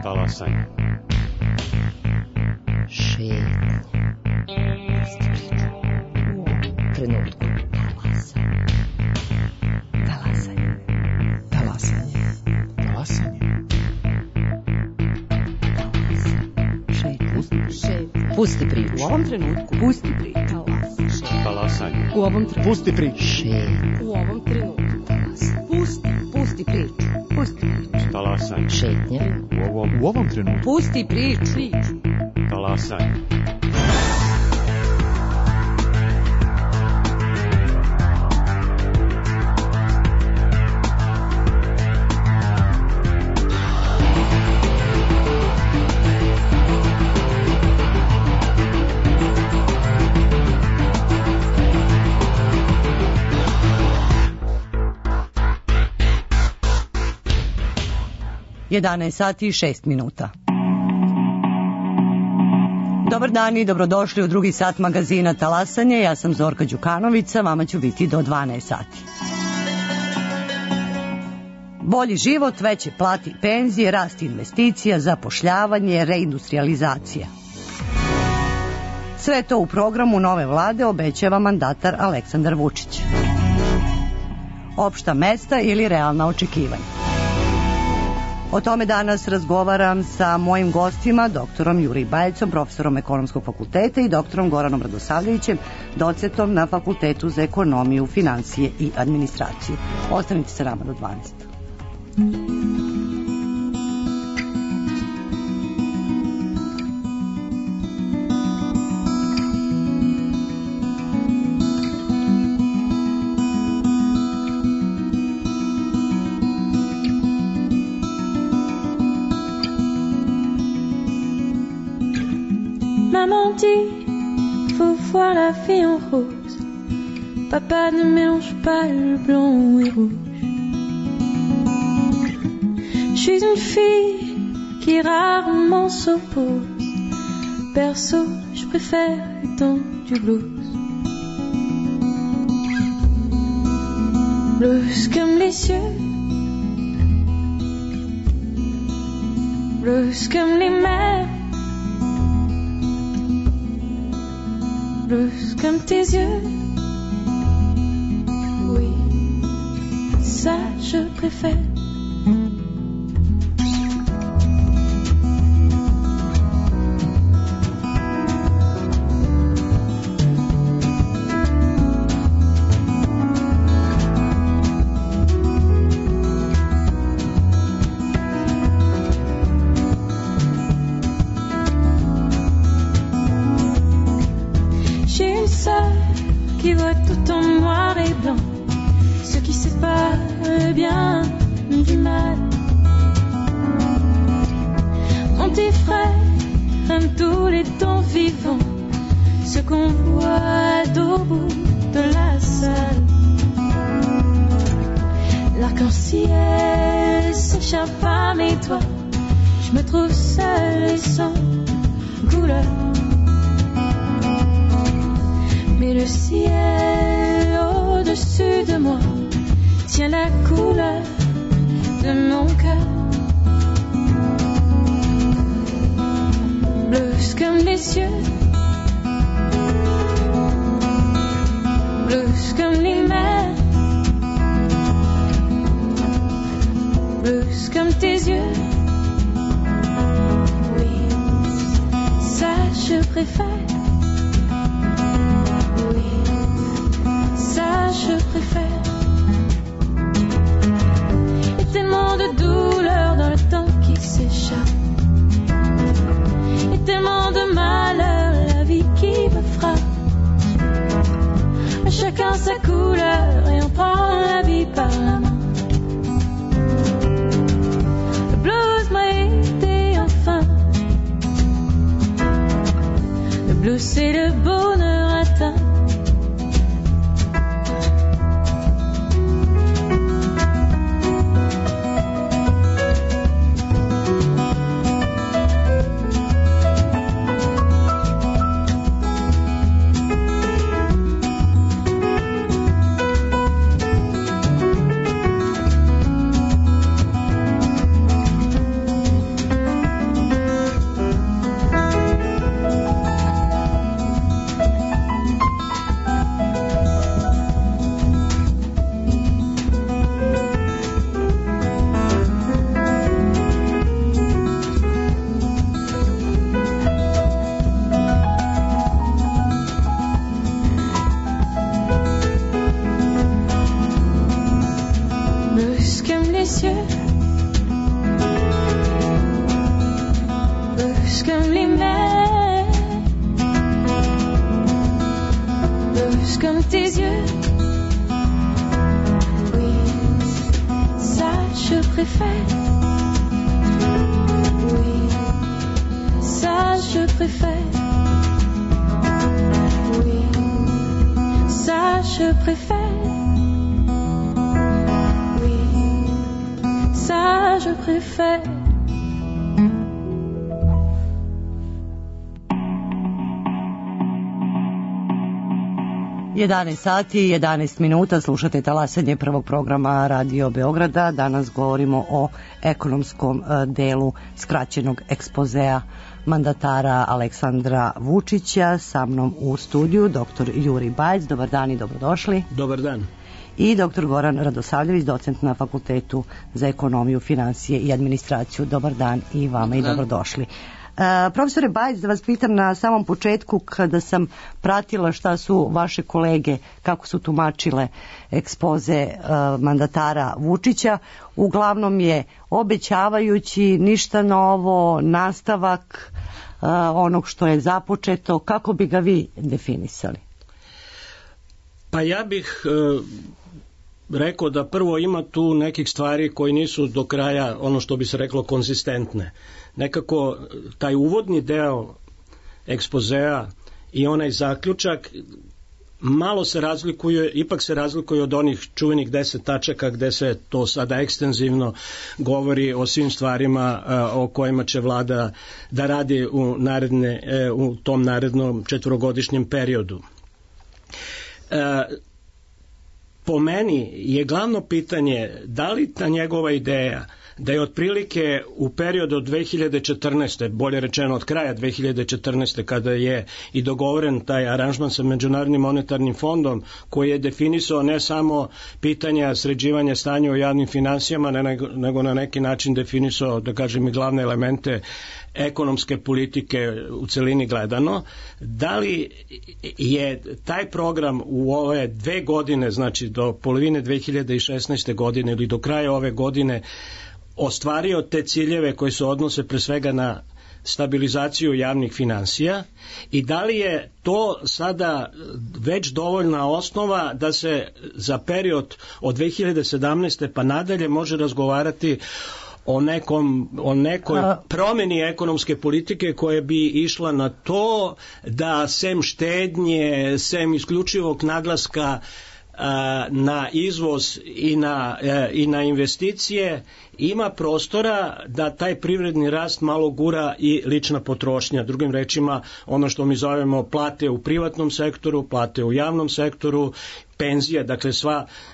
Talasanje. Šetnja. U trenutku. Talasanje. Talasanje. Talasanje. Šetnja. Pusti priču. U ovom trenutku. Pusti priču. Talasanje. U ovom trenutku. Pusti priču. Šetnja. U ovom trenutku. Pusti priču. Pusti priču. Talasanje. Šetnja. U ovom trenutku. Pusti priču. Talasanje. Jedanaest sati i 6 minuta. Dobar dan i dobrodošli u drugi sat magazina Talasanje. Ja sam Zorka Đukanovica, vama ću biti do 12 sati. Bolji život, veće plate i penzije, rast investicija, zapošljavanje, reindustrializacija. Sve to u programu nove vlade obećava mandatar Aleksandar Vučić. Opšta mesta ili realna očekivanja. O tome danas razgovaram sa mojim gostima, doktorom Juri Bajecom, profesorom Ekonomskog fakulteta i doktorom Goranom Radosavljevićem, docentom na Fakultetu za ekonomiju, finansije i administraciju. Ostanite sa nama do 12. Maman dit, faut voir la vie en rose. Papa ne mélange pas le blanc et rouge. Je suis une fille qui rarement s'oppose. Perso, je préfère le temps du blues. Blues comme les cieux. Blues comme les mers. Blues comme tes yeux. Oui, ça je préfère. Qui voit tout en noir et blanc, ce qui sépare le bien du mal. Mon petit frère aime tous les temps vivants, ce qu'on voit au bout de la salle. L'arc-en-ciel s'échappe à mes doigts, je me trouve seule et sans couleur. Mais le ciel au-dessus de moi tient la couleur de mon cœur. Blues comme les cieux. Blues comme les mers. Blues comme tes yeux. Oui, ça je préfère. Je préfère. Et tellement de douleur dans le temps qui s'échappe. Et tellement de malheur, la vie qui me frappe. Chacun sa couleur et on prend la vie par la main. Le blues m'a aidé enfin. Le blues c'est le bonheur atteint. préfère. Oui, ça je préfère. Oui, ça je préfère. Oui, ça je préfère. 11 sati i 11 minuta, slušate talasanje prvog programa Radio Beograda. Danas govorimo o ekonomskom delu skraćenog ekspozea mandatara Aleksandra Vučića. Sa mnom u studiju dr. Juri Bajc. Dobar dan i dobrodošli. Dobar dan. I dr. Goran Radosavljević, docent na Fakultetu za ekonomiju, finansije i administraciju. Dobar dan i vama i dobrodošli. Profesore Bajc, da vas pitam na samom početku, kada sam pratila šta su vaše kolege, kako su tumačile ekspoze mandatara Vučića, uglavnom je obećavajući, ništa novo, nastavak onog što je započeto. Kako bi ga vi definisali? Pa ja bih rekao da prvo ima tu nekih stvari koji nisu do kraja, ono što bi se reklo, konzistentne. Nekako taj uvodni deo ekspozea i onaj zaključak malo se razlikuje, ipak se razlikuje od onih čuvenih 10 tačaka gde se to sada ekstenzivno govori o svim stvarima o kojima će vlada da radi u tom narednom 4-godišnjem periodu. Po meni je glavno pitanje da li ta njegova ideja da je otprilike u periodu od 2014. bolje rečeno od kraja 2014. kada je i dogovoren taj aranžman sa Međunarodnim monetarnim fondom koji je definisao ne samo pitanja sređivanja stanja u javnim finansijama, nego na neki način definisao, da kažem, i glavne elemente ekonomske politike u celini gledano, da li je taj program u ove 2 godine, znači do polovine 2016. godine ili do kraja ove godine, ostvario te ciljeve koji se odnose pre svega na stabilizaciju javnih finansija i da li je to sada već dovoljna osnova da se za period od 2017. pa nadalje može razgovarati o nekoj promeni ekonomske politike koja bi išla na to da sem štednje, sem isključivog naglaska na izvoz i na investicije ima prostora da taj privredni rast malo gura i lična potrošnja. Drugim rečima, ono što mi zovemo plate u privatnom sektoru, plate u javnom sektoru, penzije, dakle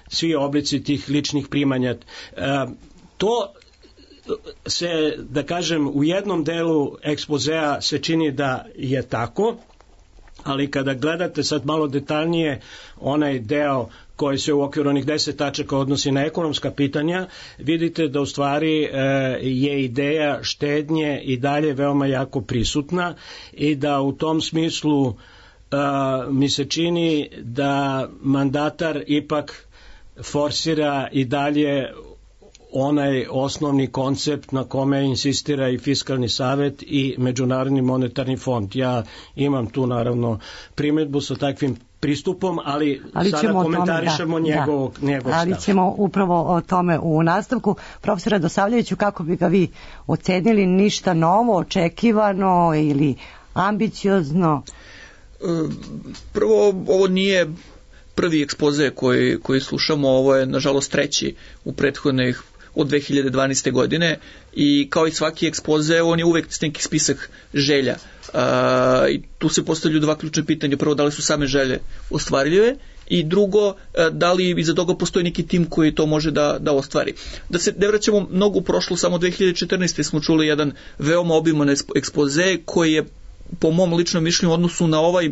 svi oblici tih ličnih primanja. To se, da kažem, u jednom delu ekspozea se čini da je tako, ali kada gledate sad malo detaljnije onaj deo koji se u okviru onih 10 tačaka odnosi na ekonomska pitanja, vidite da u stvari je ideja štednje i dalje veoma jako prisutna i da u tom smislu mi se čini da mandatar ipak forsira i dalje onaj osnovni koncept na kome insistira i Fiskalni savet i Međunarodni monetarni fond. Ja imam tu naravno primedbu sa takvim pristupom, ali sada komentarišemo njegov stav. Ali ćemo upravo o tome u nastavku. Profesor Radosavljeviću, kako bi ga vi ocenili? Ništa novo, očekivano ili ambiciozno? Prvo, ovo nije prvi ekspoze koji slušamo, ovo je nažalost treći u prethodnih od 2012. godine i kao i svaki ekspoze on je uvek neki spisak želja i tu se postavljaju 2 ključne pitanja. Prvo, da li su same želje ostvarljive i drugo, da li iza toga postoji neki tim koji to može da ostvari. Da se ne vraćamo mnogo u prošlo, samo 2014. smo čuli jedan veoma obiman ekspoze koji je po mom ličnom mišljenju u odnosu na ovaj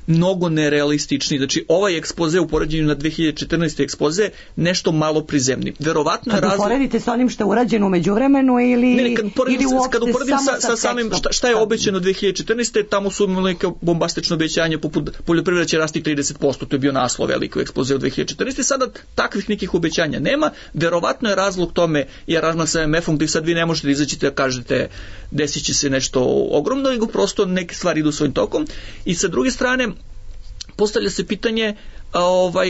mnogo nerealistični. Znači, ovaj ekspoze u poređenju na 2014. ekspoze nešto malo prizemni. Verovatno kad uporedite sa onim što je urađeno u međuvremenu ili kad uporedim sa samim šta je obećano 2014. tamo su imali neke bombastično obećanje poput poljoprivreda će rasti 30%, to je bio naslov veliko ekspoze u 2014. Sada takvih nekih obećanja nema. Verovatno je razlog tome i aranžman sa MMF-om gdje sad vi ne možete izaći da kažete desit će se nešto ogromno, nego prosto neke stvari idu svojim tokom. I sa druge strane postavlja se pitanje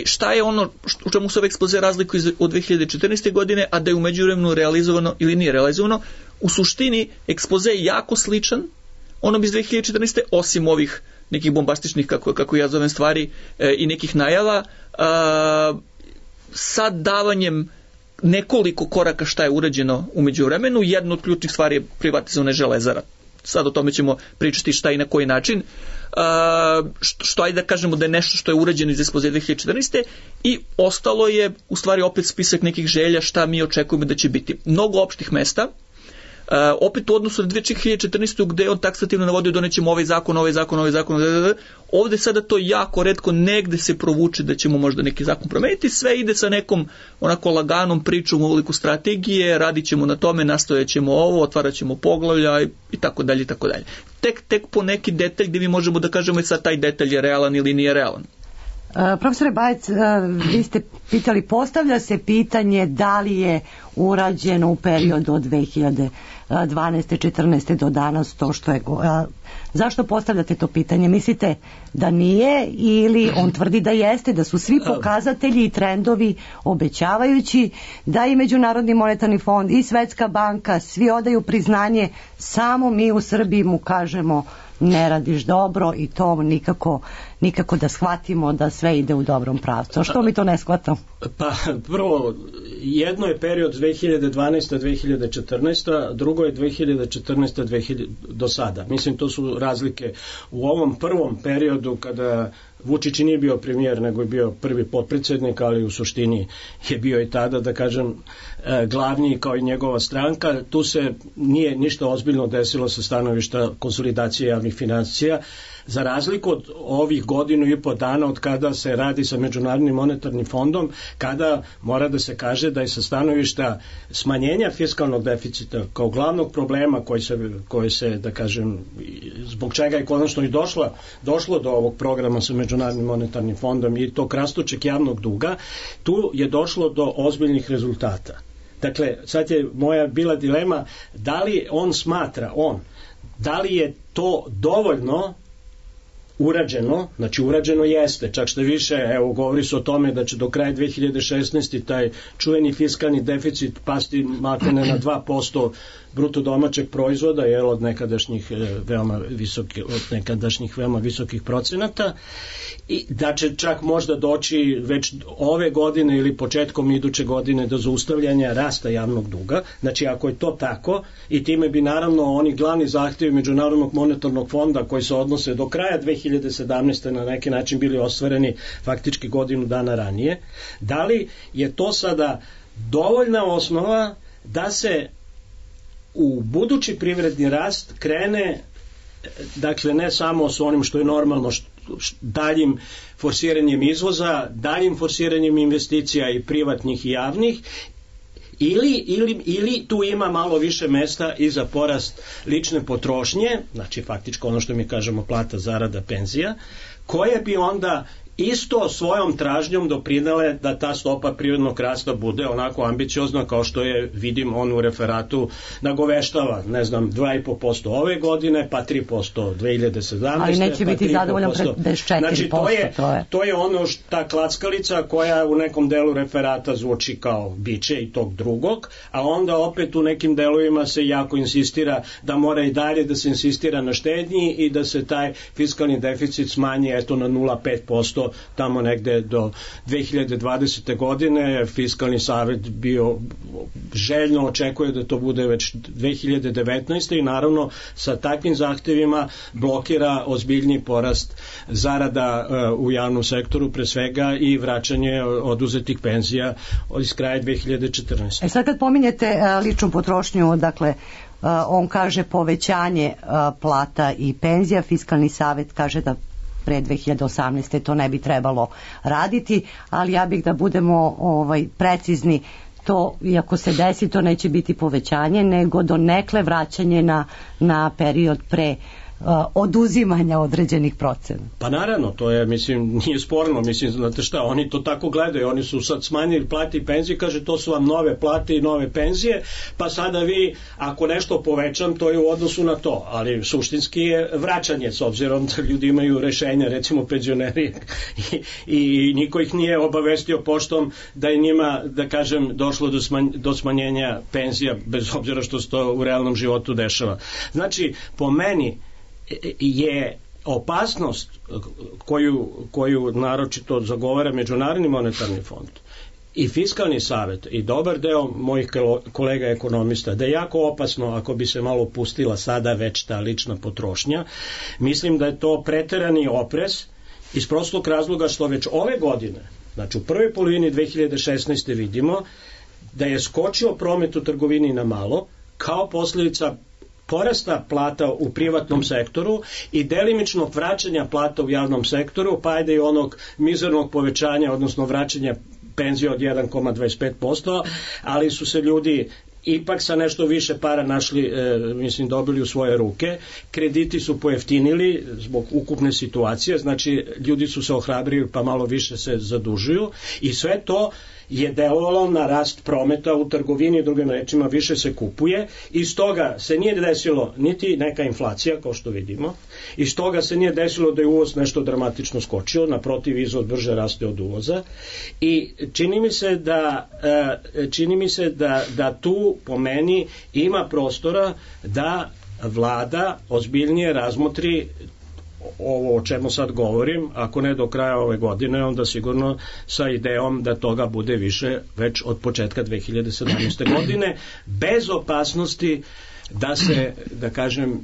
šta je ono u čemu se ove ekspoze razlikuju od 2014. godine, a da je u međuvremenu realizovano ili nije realizovano. U suštini ekspoze je jako sličan onom iz 2014. osim ovih nekih bombastičnih, kako ja zovem stvari, i nekih najava, sa davanjem nekoliko koraka šta je urađeno u međuvremenu. Jedna od ključnih stvari je privatizovana Železara. Sad o tome ćemo pričati šta i na koji način. Što ajde da kažemo da je nešto što je urađeno iz ekspoze 2014. I ostalo je u stvari opet spisak nekih želja šta mi očekujemo da će biti. Mnogo opštih mesta, opet u odnosu na 2014. gde je on taksativno navodio donećemo ovaj zakon, ovde sada to jako retko negde se provuče da ćemo možda neki zakon promeniti, sve ide sa nekom onako laganom pričom u obliku strategije, radit ćemo na tome, nastojat ćemo ovo, otvarat ćemo poglavlja i tako dalje i tako dalje. Tek po neki detalj gde mi možemo da kažemo i sad taj detalj je realan ili nije realan. Profesore Bajec, vi ste pitali, postavlja se pitanje da li je urađeno u periodu od 2012. 14. do danas to što je... Zašto postavljate to pitanje? Mislite da nije ili on tvrdi da jeste, da su svi pokazatelji i trendovi obećavajući, da i Međunarodni monetarni fond i Svetska banka svi odaju priznanje, samo mi u Srbiji mu kažemo ne radiš dobro i to nikako da shvatimo da sve ide u dobrom pravcu. Što mi to ne shvatamo? Pa prvo, jedno je period 2012-2014, drugo je 2014 do sada. Mislim, to su razlike. U ovom prvom periodu kada Vučić nije bio premijer, nego je bio prvi potpredsjednik, ali u suštini je bio i tada, da kažem, glavni kao i njegova stranka. Tu se nije ništa ozbiljno desilo sa stanovišta konsolidacije javnih financija, za razliku od ovih godinu i po dana od kada se radi sa Međunarodnim monetarnim fondom, kada mora da se kaže da je sa stanovišta smanjenja fiskalnog deficita kao glavnog problema koji se da kažem, zbog čega je konačno i došlo do ovog programa sa Međunarodnim monetarnim fondom i tog rastućeg javnog duga, tu je došlo do ozbiljnih rezultata. Dakle, sad je moja bila dilema da li on smatra, da li je to dovoljno urađeno, znači urađeno jeste, čak što više, evo govori se o tome da će do kraja 2016. taj čuveni fiskalni deficit pasti maltene na 2% bruto domaćeg proizvoda, od nekadašnjih veoma visokih procenata, i da će čak možda doći već ove godine ili početkom iduće godine do zaustavljanja rasta javnog duga. Znači, ako je to tako, i time bi naravno oni glavni zahtjevi Međunarodnog monetarnog fonda koji se odnose do kraja 2017. na neki način bili ostvareni faktički godinu dana ranije, da li je to sada dovoljna osnova da se u budući privredni rast krene, dakle ne samo s onim što je normalno, daljim forsiranjem izvoza, daljim forsiranjem investicija i privatnih i javnih, ili tu ima malo više mesta i za porast lične potrošnje, znači faktički ono što mi kažemo plata, zarada, penzija, koje bi onda isto svojom tražnjom doprinele da ta stopa privrednog rasta bude onako ambiciozna kao što je, vidim, on u referatu nagoveštava, 2,5% ove godine, pa 3% 2017. Ali neće biti zadovoljan bez 4%. Znači, to je ono ta klackalica koja u nekom delu referata zvuči kao biće i tog drugog, a onda opet u nekim delovima se jako insistira da mora i dalje da se insistira na štednji i da se taj fiskalni deficit smanji na 0,5%, tamo negde do 2020. godine. Fiskalni savjet bio željno očekuje da to bude već 2019. i naravno sa takvim zahtevima blokira ozbiljni porast zarada u javnom sektoru, pre svega i vraćanje oduzetih penzija iz kraja 2014. Sad kad pominjete ličnu potrošnju, dakle on kaže povećanje plata i penzija, fiskalni savjet kaže da pre 2018. to ne bi trebalo raditi, ali ja bih da budemo precizni, to iako se desi to neće biti povećanje, nego donekle vraćanje na period pre oduzimanja određenih procena. Pa naravno, to je, mislim, nije sporno, mislim, znate šta, oni to tako gledaju, oni su sad smanjili plate i penzije, kaže to su vam nove plate i nove penzije, pa sada vi, ako nešto povećam, to je u odnosu na to, ali suštinski je vraćanje, s obzirom da ljudi imaju rešenja, recimo penzioneri, i niko ih nije obavestio poštom da je njima, da kažem, došlo do smanjenja penzija, bez obzira što se to u realnom životu dešava. Znači, po meni je opasnost koju naročito zagovara Međunarodni monetarni fond i Fiskalni savet i dobar deo mojih kolega ekonomista, da je jako opasno ako bi se malo pustila sada već ta lična potrošnja. Mislim da je to preterani oprez iz prostog razloga što već ove godine, znači u prvoj polovini 2016. vidimo da je skočio promet u trgovini na malo kao posljedica porasta plata u privatnom sektoru i delimičnog vraćanja plata u javnom sektoru, pa ajde i onog mizernog povećanja, odnosno vraćanja penzije od 1,25%, ali su se ljudi ipak sa nešto više para našli, mislim, dobili u svoje ruke. Krediti su pojeftinili zbog ukupne situacije, znači ljudi su se ohrabrili pa malo više se zadužuju i sve to je delovalo na rast prometa u trgovini, drugim rečima više se kupuje i stoga se nije desilo niti neka inflacija, kao što vidimo, i stoga se nije desilo da je uvoz nešto dramatično skočio, naprotiv izvoz brže raste od uvoza i čini mi se da tu po meni ima prostora da vlada ozbiljnije razmotri ovo o čemu sad govorim, ako ne do kraja ove godine, onda sigurno sa idejom da toga bude više već od početka 2017. godine, bez opasnosti da se, da kažem,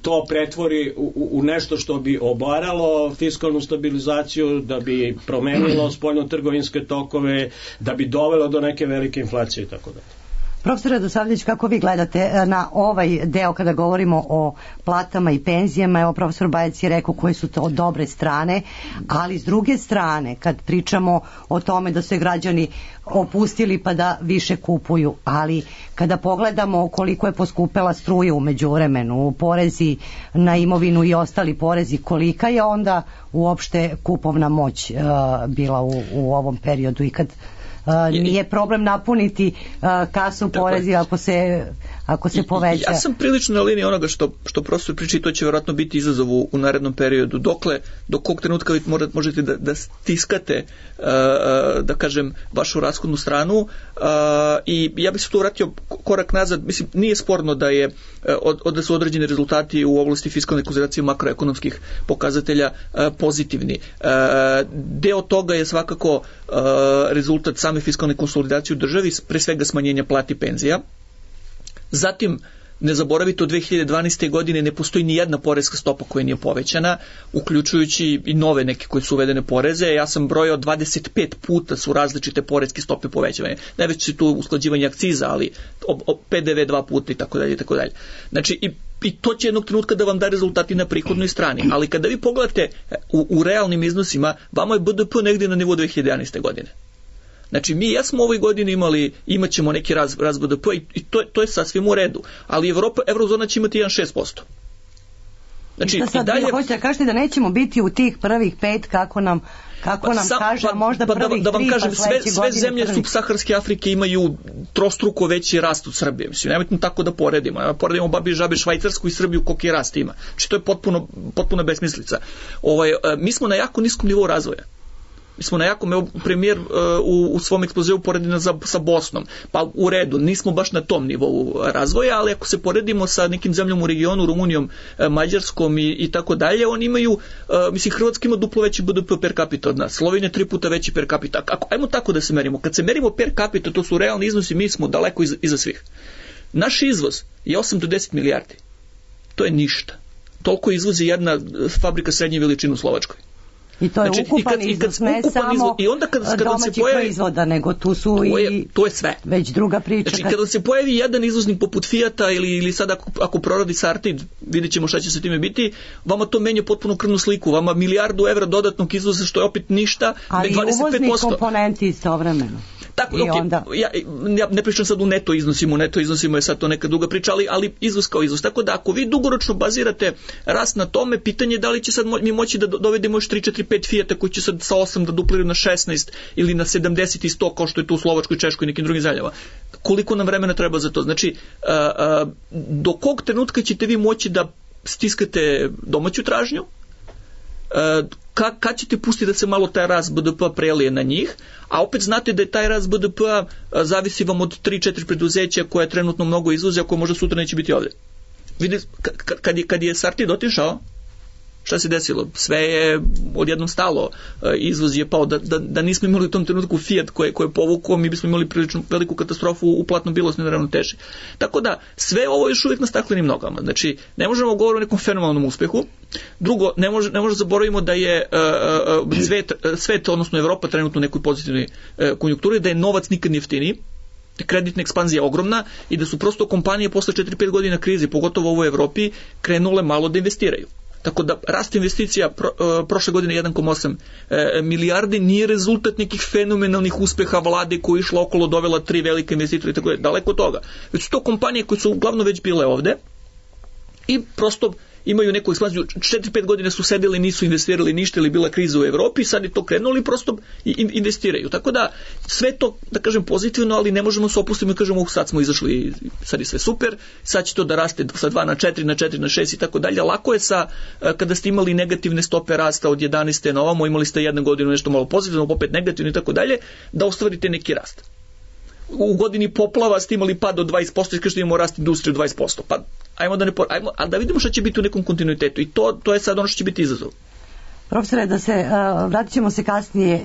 to pretvori u nešto što bi obaralo fiskalnu stabilizaciju, da bi promenilo spoljno-trgovinske tokove, da bi dovelo do neke velike inflacije i tako dalje. Profesor Radosavljević, kako vi gledate na ovaj deo kada govorimo o platama i penzijama? Evo, profesor Bajac je rekao koje su to dobre strane, ali s druge strane, kad pričamo o tome da se građani opustili pa da više kupuju, ali kada pogledamo koliko je poskupela struja u međuvremenu, porezi na imovinu i ostali porezi, kolika je onda uopšte kupovna moć bila u ovom periodu i kad nije problem napuniti kasu porezi ako se poveća. Ja sam prilično na liniji onoga što profesor priča i to će vjerojatno biti izazov u narednom periodu. Do kog trenutka vi možete da stiskate da kažem vašu rashodnu stranu i ja bih se tu vratio korak nazad. Mislim, nije sporno da su određeni rezultati u oblasti fiskalne konsolidacije makroekonomskih pokazatelja pozitivni. Deo toga je svakako rezultat same fiskalne konsolidacije u državi, pre svega smanjenja plati penzija. Zatim, ne zaboravite, od 2012. godine ne postoji ni jedna poreska stopa koja nije povećana, uključujući i nove neke koje su uvedene poreze. Ja sam brojao 25 puta su različite poreske stope povećavane. Najveće su tu usklađivanje akciza, ali PDV 2 puta i tako dalje i tako dalje. Znači, i to će jednog trenutka da vam da rezultati na prihodnoj strani. Ali kada vi pogledate u realnim iznosima, vama je BDP negdje na nivou 2011. godine. Znači, ja smo u ovoj godini imat ćemo neki rast BDP i to je sasvim u redu. Ali Eurozona će imati 1,6%. Znači, sad, i dalje... Hoćete da kažete da nećemo biti u tih prvih 5 kako nam kaže, možda prvih 3, da vam kažem, sve zemlje prvih. subsaharske Afrike imaju trostruko veći rast od Srbije. Mislim, nemojte tako da poredimo. Poredimo babi žabe Švajcarsku i Srbiju koliki je rast ima. Znači, to je potpuno besmislica. Mi smo na jako niskom nivou razvoja. Mi smo na jakom, premijer u svom ekspozeu poredi sa Bosnom, pa u redu, nismo baš na tom nivou razvoja, ali ako se poredimo sa nekim zemljom u regionu, Rumunijom, Mađarskom i tako dalje, oni imaju, mislim, Hrvatska ima duplo veći BDP per capita od nas, Slovenija 3 puta veći per capita. Ajmo tako da se merimo. Kad se merimo per capita, to su realni iznosi, mi smo daleko iza svih. Naš izvoz je 8 do 10 milijardi. To je ništa. Toliko izvozi jedna fabrika srednje veličine u Slovačkoj. I to je ukupan izvoz, ne samo domaćih proizvoda, nego tu su to je sve. Već druga priča. Znači, kada se pojavi jedan izvoznik poput Fijata ili sad ako proradi Sartid, vidjet ćemo šta će sa time biti, vama to menja potpuno krvnu sliku. Vama milijardu evra dodatnog izvoza, što je opet ništa, ali 25%. Ali uvoznik komponenti istovremeno. Tako, I onda... ja ne pričam sad u neto iznosima je sad to neka druga priča, ali izvoz kao izvoz. Tako da ako vi dugoročno bazirate rast na tome, pitanje je da li će sad mi moći da dovedemo još 3, 4, 5 Fijata koji će sad sa 8 da dupliraju na 16 ili na 70 i 100 kao što je tu u Slovačkoj, Češkoj i nekim drugim zemljama. Koliko nam vremena treba za to? Znači, do kog trenutka ćete vi moći da stiskate domaću tražnju, kad ćete pustiti da se malo taj rast BDP-a prelije na njih, a opet znate da je taj rast BDP-a zavisi vam od 3-4 preduzeća koje trenutno mnogo izvoze, a koje možda sutra neće biti ovdje. Vidite, kad je Sartid otišao, šta se desilo? Sve je odjednom stalo, izvoz je pao, da nismo imali u tom trenutku Fiat koje je povukao, mi bismo imali prilično veliku katastrofu u platno-bilosnoj neravnoteži. Tako da, sve ovo je još uvijek na staklenim nogama. Znači, ne možemo govoriti o nekom fenomenalnom uspehu. Drugo, ne može zaboravimo da je svet, odnosno Evropa trenutno u nekoj pozitivnoj konjunkturi, da je novac nikad jeftiniji, kreditna ekspanzija je ogromna i da su prosto kompanije posle 4-5 godina krize, pogotovo u ovoj Evropi, krenule malo da investiraju. Tako da rast investicija prošle godine 1,8 milijardi nije rezultat nekih fenomenalnih uspeha vlade koja je išla okolo, dovela 3 velike investitora i tako daleko od toga. Već su to kompanije koje su uglavnom već bile ovde i prosto imaju neku ekspanziju. 4-5 godine su sedeli, nisu investirali ništa ili bila kriza u Evropi, sad je to krenulo i prosto investiraju. Tako da sve to, da kažem, pozitivno, ali ne možemo se opustiti i kažemo sad smo izašli, sad je sve super, sad će to da raste sa 2 na 4, na 4 na 6 i tako dalje. Lako je kada ste imali negativne stope rasta od 11. na ovamo, imali ste jednu godinu nešto malo pozitivno, opet negativno i tako dalje, da ostvarite neki rast. U godini poplava ste imali pad od 20% i kažete imamo rast industrije od 20%. Pa ajmo da vidimo šta će biti u nekom kontinuitetu i to je sad ono što će biti izazov. Profesore, vratit ćemo se kasnije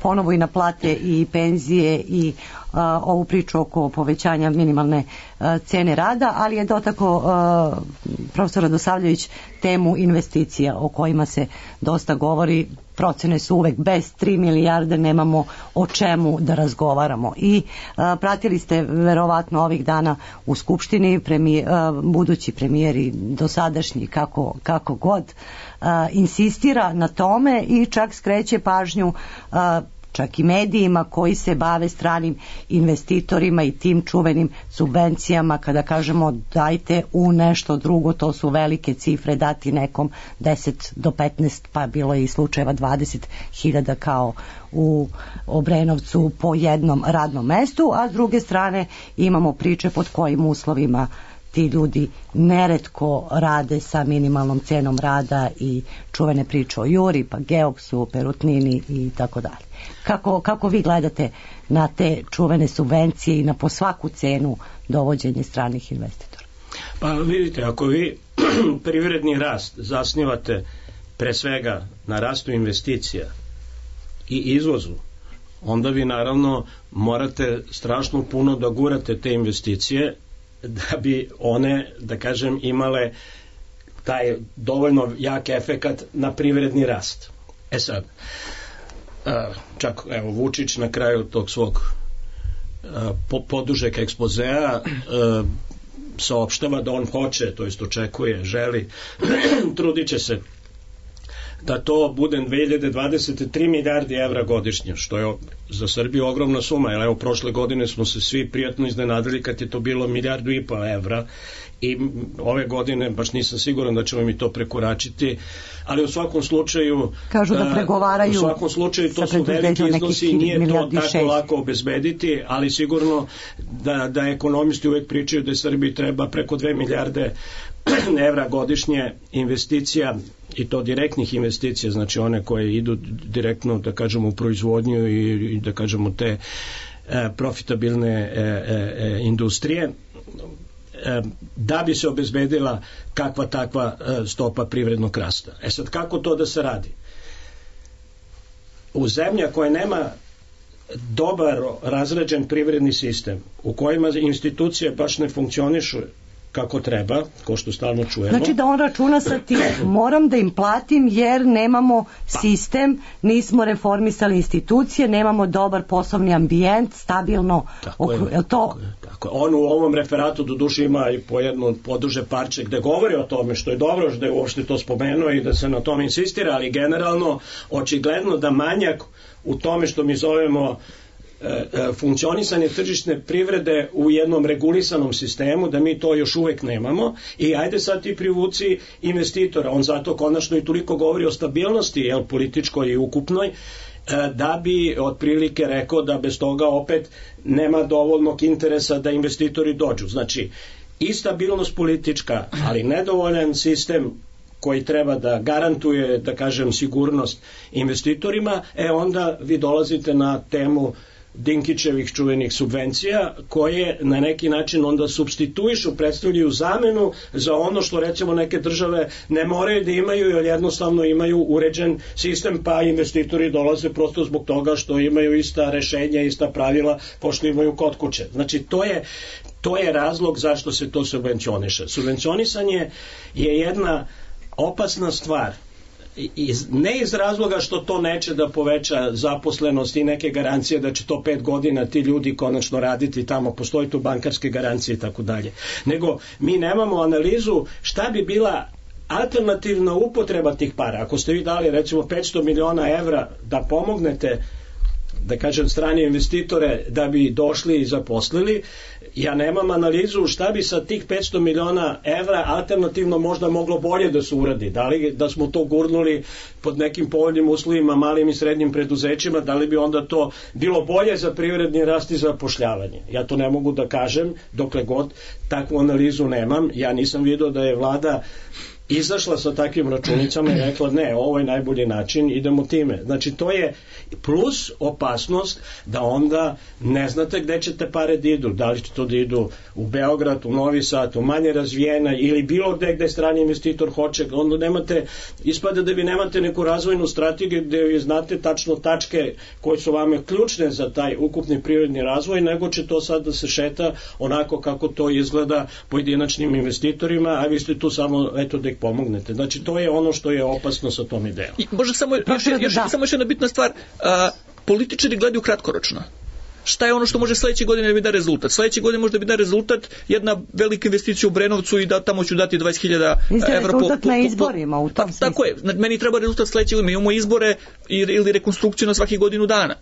ponovo i na plate i penzije i ovu priču oko povećanja minimalne cene rada, ali je dotakao profesor Radosavljević temu investicija o kojima se dosta govori. Procene su uvek bez 3 milijarde nemamo o čemu da razgovaramo. I pratili ste verovatno ovih dana u Skupštini budući premijer i dosadašnji kako god insistira na tome i čak skreće pažnju čak i medijima koji se bave stranim investitorima i tim čuvenim subvencijama, kada kažemo dajte u nešto drugo, to su velike cifre, dati nekom 10 do 15, pa bilo je i slučajeva 20.000 kao u Obrenovcu po jednom radnom mestu, a s druge strane imamo priče pod kojim uslovima ti ljudi neretko rade sa minimalnom cenom rada i čuvene priče o Juri, pa Geoksu, Perutnini i tako dalje. Kako vi gledate na te čuvene subvencije i na po svaku cenu dovođenje stranih investitora? Pa vidite, ako vi privredni rast zasnivate pre svega na rastu investicija i izvozu, onda vi naravno morate strašno puno da gurate te investicije da bi one, da kažem, imale taj dovoljno jak efekat na privredni rast. Sad, čak evo Vučić na kraju tog svog podužeg ekspozea saopštava da on hoće, to jest očekuje, želi, trudit će se da to bude 2023 milijardi evra godišnje, što je za Srbiju ogromna suma, jer evo prošle godine smo se svi prijatno iznenadili kad je to bilo 1,5 milijardu evra i ove godine baš nisam siguran da ćemo mi to prekoračiti, ali u svakom slučaju kažu da pregovaraju, u svakom slučaju to su veliki iznosi i nije to tako lako obezbediti, ali sigurno da ekonomisti uvek pričaju da Srbiji treba preko 2 milijarde evra godišnje investicija, i to direktnih investicija, znači one koje idu direktno, da kažemo, u proizvodnju i da kažemo te profitabilne industrije, da bi se obezbedila kakva takva stopa privrednog rasta. Sad, kako to da se radi? U zemlja koja nema dobar razrađen privredni sistem, u kojima institucije baš ne funkcionišu kako treba, ko što stalno čujemo. Znači da on računa sa tim, moram da im platim jer nemamo sistem, nismo reformisali institucije, nemamo dobar poslovni ambijent, stabilno. Tako je. On u ovom referatu do duše ima i po jedno poduže parče gde govori o tome, što je dobro što je uopšte to spomenuo i da se na tome insistira, ali generalno očigledno da manjak u tome što mi zovemo funkcionisanje tržišne privrede u jednom regulisanom sistemu, da mi to još uvek nemamo, i ajde sad ti privuci investitora, on zato konačno i toliko govori o stabilnosti, političkoj i ukupnoj, da bi otprilike rekao da bez toga opet nema dovoljnog interesa da investitori dođu. Znači, i stabilnost politička, ali nedovoljan sistem koji treba da garantuje, da kažem, sigurnost investitorima, onda vi dolazite na temu Dinkićevih čuvenih subvencija, koje na neki način onda supstituišu, predstavljaju zamenu za ono što recimo neke države ne moraju da imaju, jer jednostavno imaju uređen sistem, pa investitori dolaze prosto zbog toga što imaju ista rešenja, ista pravila, pošto imaju kod kuće. Znači, to je razlog zašto se to subvencioniše. Subvencionisanje je jedna opasna stvar, ne iz razloga što to neće da poveća zaposlenost i neke garancije da će to 5 godina ti ljudi konačno raditi tamo, postoji tu bankarske garancije i tako dalje, nego mi nemamo analizu šta bi bila alternativna upotreba tih para. Ako ste vi dali recimo 500 miliona evra da pomognete, da kažem, strane investitore da bi došli i zaposlili, ja nemam analizu šta bi sa tih 500 miliona evra alternativno možda moglo bolje da se uradi. Da li da smo to gurnuli pod nekim povoljnim uslovima malim i srednjim preduzećima, da li bi onda to bilo bolje za privredni rast i zapošljavanje? Ja to ne mogu da kažem dokle god takvu analizu nemam. Ja nisam vidio da je vlada izašla sa takvim računicama i rekla ne, ovo je najbolji način, idemo time. Znači, to je plus opasnost da onda ne znate gde ćete pare da idu, da li će to da idu u Beograd, u Novi Sad, u manje razvijena ili bilo gde strani investitor hoće, onda nemate, ispada da vi nemate neku razvojnu strategiju gde vi znate tačno tačke koje su vame ključne za taj ukupni privredni razvoj, nego će to sad da se šeta onako kako to izgleda pojedinačnim investitorima, a vi ste tu samo, eto, da ih pomognete. Znači, to je ono što je opasno sa tom idejom. I može samo još jedna bitna stvar, političari gledaju kratkoročno. Šta je ono što može sledeće godine da bi da rezultat? Sledeće godine može da bi da rezultat jedna velika investicija u Brenovcu i da tamo ću dati 20.000 evra rezultat na izborima u tom smislu. Tako je, meni treba rezultat sledeće godine. Mi imamo izbore ili rekonstrukciju na svaki godinu dana.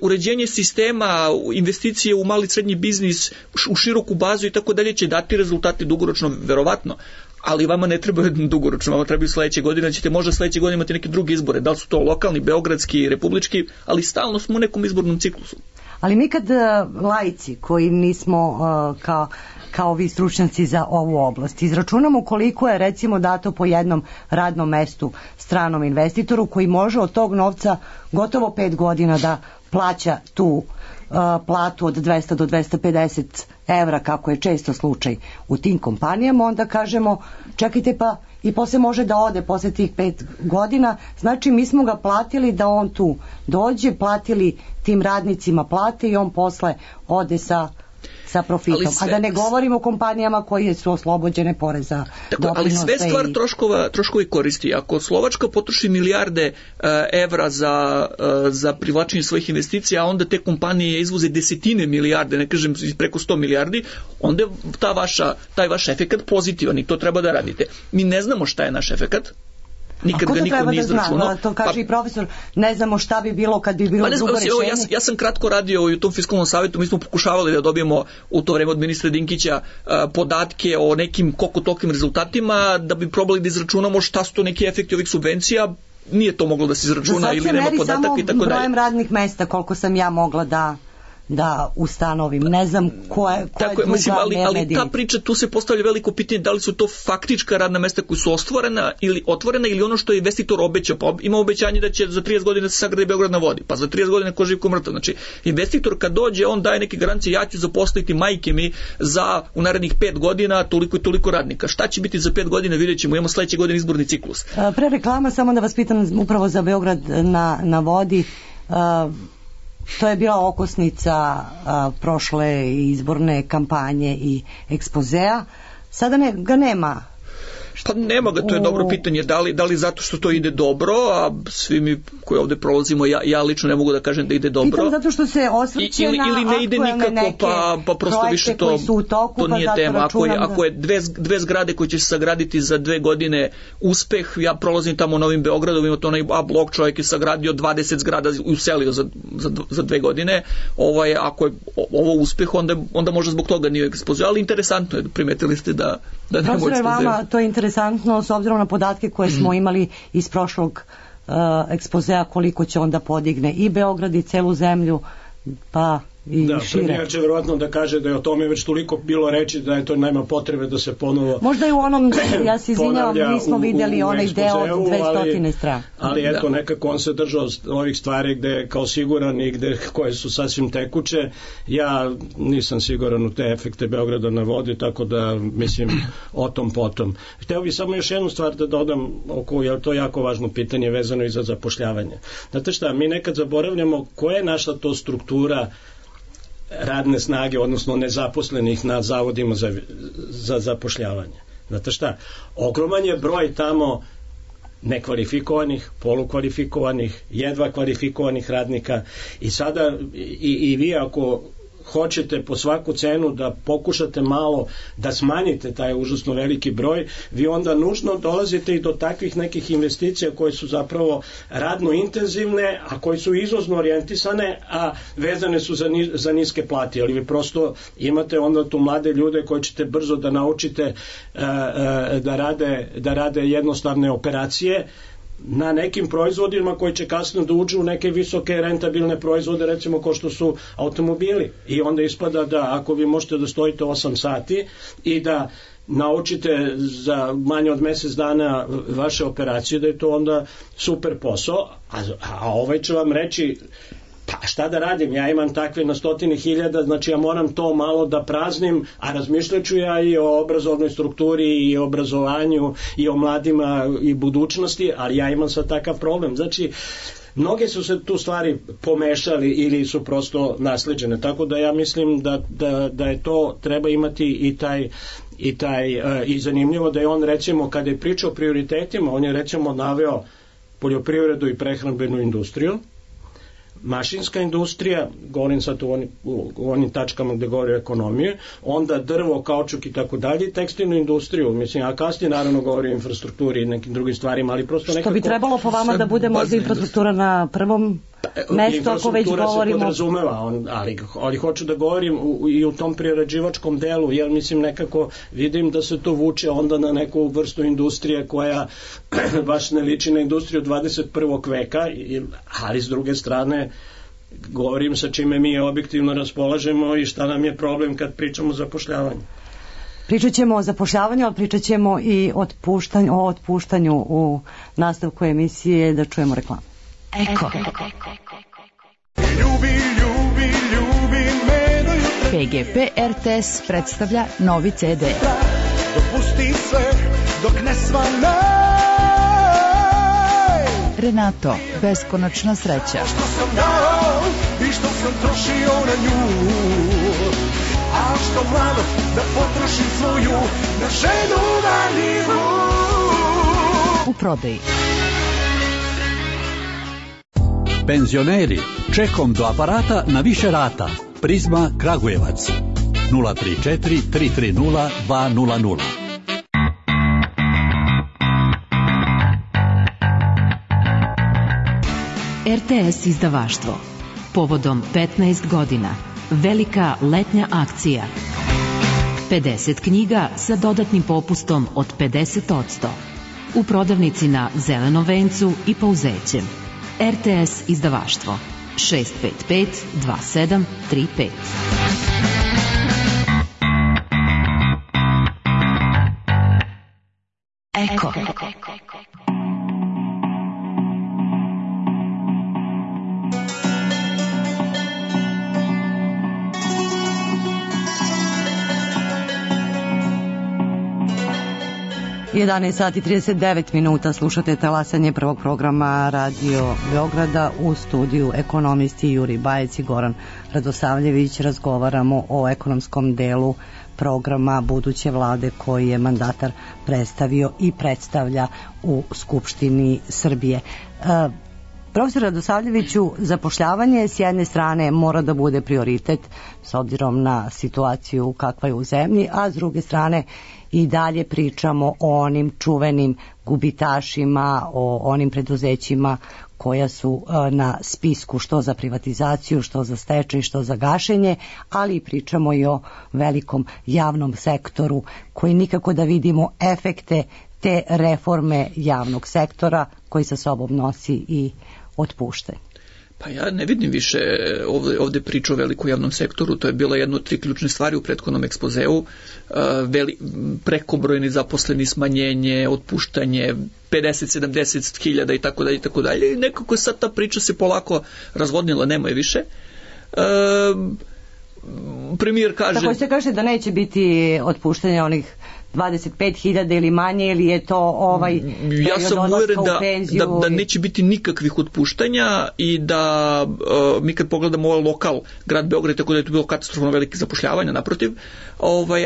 Uređenje sistema, investicije u mali srednji biznis, u široku bazu i tako dalje će dati rezultate dugoročno, verovatno. Ali vama ne treba dugoročno, vama trebaju sledeće godine, ćete možda sledeće godine imati neke druge izbore, da li su to lokalni, beogradski, republički, ali stalno smo u nekom izbornom ciklusu. Ali mi kad laici koji nismo kao vi stručnjaci za ovu oblast, izračunamo koliko je recimo dato po jednom radnom mestu stranom investitoru koji može od tog novca gotovo 5 godina da plaća tu platu od 200 do 250 evra, kako je često slučaj u tim kompanijama, onda kažemo čekajte, pa i posle može da ode posle tih 5 godina, znači mi smo ga platili da on tu dođe, platili tim radnicima plate i on posle ode sa profitom. A da ne govorimo o kompanijama koje su oslobođene poreza. Ali sve stvar troškovi koristi. Ako Slovačka potroši milijarde evra za privlačenje svojih investicija, a onda te kompanije izvoze desetine milijarde, ne kažem preko 100 milijardi, onda je taj vaš efekat pozitivan i to treba da radite. Mi ne znamo šta je naš efekat. Nikad ga niko nije izračunao. To kaže i profesor, ne znamo šta bi bilo kad bi bilo drugo rešenje. Ja sam kratko radio u tom fiskalnom savjetu, mi smo pokušavali da dobijemo u to vreme od ministra Dinkića podatke o nekim koliko tolikim rezultatima, da bi probali da izračunamo šta su to neki efekti ovih subvencija. Nije to moglo da se izračuna ili nema podataka i tako dalje. Samo brojem radnih mesta koliko sam ja mogla da ustanovim. Ne znam koja je druga ali ta priča, tu se postavlja veliko pitanje da li su to faktička radna mesta koja su otvorena ili ono što je investitor obećao. Pa ima obećanje da će za 30 godina se sagradi Beograd na vodi, pa za 30 godina ko živ ko mrtav. Znači, investitor kad dođe, on daje neke garancije, ja ću zaposliti majke mi za u narednih 5 godina toliko i toliko radnika. Šta će biti za 5 godina, vidjet ćemo, imamo sledeće godine izborni ciklus. Pre reklama, samo da vas pitam upravo za Beograd na vodi, to je bila okosnica prošle izborne kampanje i ekspozea. Sada ga nema. Pa nema ga, to je dobro pitanje, da li zato što to ide dobro, a svi mi koji ovde prolazimo, ja lično ne mogu da kažem da ide dobro. Pitam zato što se osvrće na ili ne ide nikako, pa prosto više to nije tema. Ako je dve zgrade koje će se sagraditi za 2 godine uspeh, ja prolazim tamo Novim Beogradom, ima to onaj A blok, čovjek je sagradio 20 zgrada i uselio za 2 godine. Ako je ovo uspeh, onda možda zbog toga nije ekspozija, ali interesantno je, primetili ste da nema ekspozija. Vama to je interesantno s obzirom na podatke koje smo imali iz prošlog ekspozea, koliko će onda podigne i Beograd i celu zemlju, pa i šire. Premijer će verovatno da kaže da je o tome već toliko bilo reći da je to nema potrebe da se ponovo možda i u onom, ja se izvinjavam, nismo vidjeli onaj deo od 200 strana. Ali eto, nekako on se držao ovih stvari gde je kao siguran i koje su sasvim tekuće. Ja nisam siguran u te efekte Beograda na vodi, tako da mislim o tom potom. Hteo bih samo još jednu stvar da dodam, jer to je jako važno pitanje vezano i za zapošljavanje. Znate šta, mi nekad zaboravljamo koja je naša to struktura radne snage, odnosno nezaposlenih na zavodima za zapošljavanje. Znate šta, ogroman je broj tamo nekvalifikovanih, polukvalifikovanih, jedva kvalifikovanih radnika i sada i vi ako hoćete po svaku cenu da pokušate malo da smanjite taj užasno veliki broj, vi onda nužno dolazite i do takvih nekih investicija koje su zapravo radno intenzivne, a koje su izvozno orijentisane, a vezane su za niske plate, ali vi prosto imate onda tu mlade ljude koje ćete brzo da naučite da rade jednostavne operacije na nekim proizvodima koji će kasnije da uđu u neke visoke rentabilne proizvode, recimo kao što su automobili. I onda ispada da ako vi možete da stojite 8 sati i da naučite za manje od mjesec dana vaše operacije, da je to onda super posao, a ovaj će vam reći pa šta da radim, ja imam takve na 100.000, znači ja moram to malo da praznim, a razmišljat ću ja i o obrazovnoj strukturi i o obrazovanju i o mladima i budućnosti, ali ja imam sad takav problem. Znači, mnoge su se tu stvari pomešali ili su prosto nasleđene, tako da ja mislim da je to, treba imati i zanimljivo da je on recimo kada je pričao o prioritetima, on je recimo naveo poljoprivredu i prehrambenu industriju, mašinska industrija, govorim sad u onim tačkama gde govori o ekonomiji, onda drvo, kaučuk i tako dalje, tekstilnu industriju, mislim, a kasnije naravno govori o infrastrukturi i nekim drugim stvarima, ali prosto nekako... Što bi trebalo po vama da bude možda infrastruktura na prvom mestu, ako već govorimo... Infrastruktura se podrazumeva, ali hoću da govorim i u tom prerađivačkom delu, jer mislim nekako vidim da se to vuče onda na neku vrstu industrije koja baš ne liči na industriju 21. veka, ali s druge strane govorim sa čime mi objektivno raspolažemo i šta nam je problem kad pričamo o zapošljavanju. Pričat ćemo o zapošljavanju, ali pričat ćemo i o otpuštanju u nastavku emisije, da čujemo reklamu. Eko. PGP RTS predstavlja novi CD. Dopusti sve dok ne svane. Renato, beskonačna sreća. Što sam dao i što sam trošio na nju, a što mlado da potrošim svoju na ženu vanilu. U prodaji. Penzioneri, čekom do aparata na više rata. Prizma Kragujevac 034 330 200. RTS izdavaštvo. Povodom 15 godina. Velika letnja akcija. 50 knjiga sa dodatnim popustom od 50%. U prodavnici na Zelenom vencu i Pauzećem. RTS izdavaštvo 655 2735. Eko. 11 sati 39 minuta, slušate talasanje prvog programa Radio Beograda. U studiju ekonomisti Juri Bajec i Goran Radosavljević. Razgovaramo o ekonomskom delu programa buduće vlade koji je mandatar predstavio i predstavlja u Skupštini Srbije. Profesor Radosavljeviću, zapošljavanje s jedne strane mora da bude prioritet s obzirom na situaciju kakva je u zemlji, a s druge strane i dalje pričamo o onim čuvenim gubitašima, o onim preduzećima koja su na spisku što za privatizaciju, što za stečaj, što za gašenje, ali pričamo i o velikom javnom sektoru koji nikako da vidimo efekte te reforme javnog sektora koji sa sobom nosi i otpušte. Pa ja ne vidim više ovde priču o velikom javnom sektoru, to je bila jedna od 3 ključne stvari u prethodnom ekspozeu, prekobrojni zaposleni, smanjenje, otpuštanje, 50-70 hiljada i tako dalje. Nekako sad ta priča se polako razvodnila, nema je više. Premijer kaže... Tako se kaže da neće biti otpuštanja onih 25.000 ili manje, ili je to ja sam uveren da neće biti nikakvih otpuštanja i da mi kad pogledamo ovaj lokal, grad Beograd, tako da je to bilo katastrofalno velike zapošljavanja, naprotiv,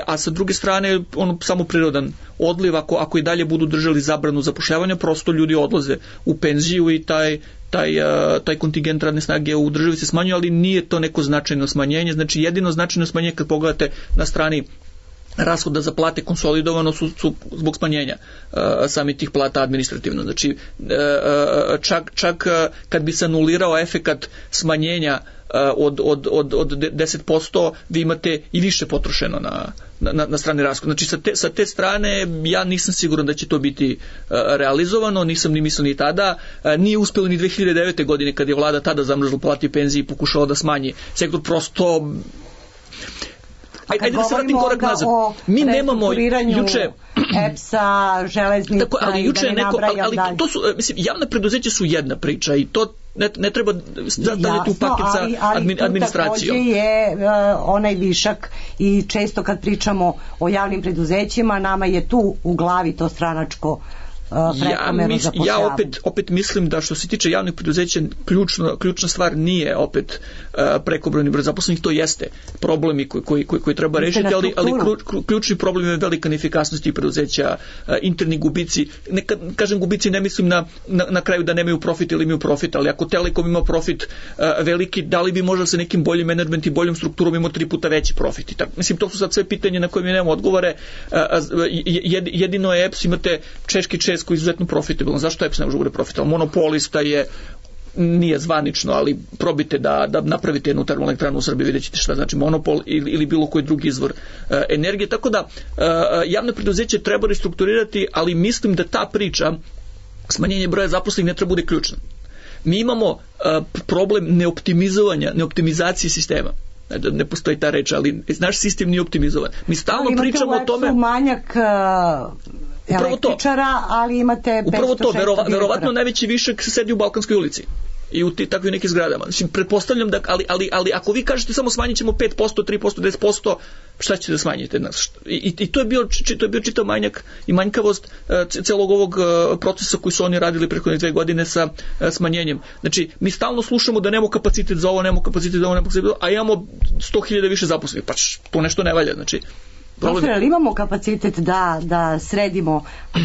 a sa druge strane samo prirodan odliv, ako i dalje budu držali zabranu zapošljavanja, prosto ljudi odlaze u penziju i taj kontingent radne snage u državi se smanjuje, ali nije to neko značajno smanjenje. Znači jedino značajno smanjenje kad pogledate na strani rashoda za plate konsolidovano su zbog smanjenja sami tih plata administrativno. Znači čak kad bi se anulirao efekat smanjenja od 10%, vi imate i više potrošeno na strani rashoda. Znači sa te strane ja nisam siguran da će to biti realizovano, nisam ni mislio ni tada. Nije uspelo ni 2009. godine kad je vlada tada zamrzla plate i penzije i pokušala da smanji sektor, prosto... Ajde da se vratim korak nazad. Mi nemamo juče EPS-a, železnica, ali juče ali to su, mislim, javna preduzeća su jedna priča i to ne treba stavljati u paket sa administracijom. Takođe je onaj višak i često kad pričamo o javnim preduzećima, nama je tu u glavi to stranačko prekomerno zapošljavanje. Ja opet mislim da što se tiče javnih preduzeća ključna stvar nije opet prekobrojni broj zaposlenih, to jeste problemi koji treba rešiti, ali ključni problem je velika neefikasnost tih preduzeća, interni gubici. Nekad kažem gubici, ne mislim na kraju da nemaju profit ili imaju profit, ali ako Telekom ima profit veliki, da li bi možda sa nekim boljim menadžment i boljom strukturom imao 3 puta veći profit? Mislim, to su sad sve pitanje na koje mi nemamo odgovore. Jedino je EPS, imate češki koji je izuzetno profitabilan. Zašto EPS ne može bude profitabilan? Monopolista nije zvanično, ali probite da napravite jednu termoelektranu u Srbiji, vidjet ćete šta znači monopol ili bilo koji drugi izvor energije. Tako da javne preduzeće treba restrukturirati, ali mislim da ta priča smanjenje broja zaposlenih ne treba bude ključna. Mi imamo problem neoptimizacije sistema. Ne postoji ta reč, ali naš sistem nije optimizovan. Mi stalno pričamo o tome... manjak električara, ali imate 500-600 upravo to, verovatno najveći višak sedi u Balkanskoj ulici i u takvim nekim zgradama. Znači, pretpostavljam da, ali ako vi kažete samo smanjit ćemo 5%, 3%, 10%, šta ćete da smanjite? I to je bio čitav manjak i manjkavost celog ovog procesa koji su oni radili prethodne 2 godine sa smanjenjem. Znači, mi stalno slušamo da nemamo kapacitet za ovo, a imamo 100.000 više zaposlenih. Pa to nešto ne valja. Znači, Profesor, ali imamo kapacitet da sredimo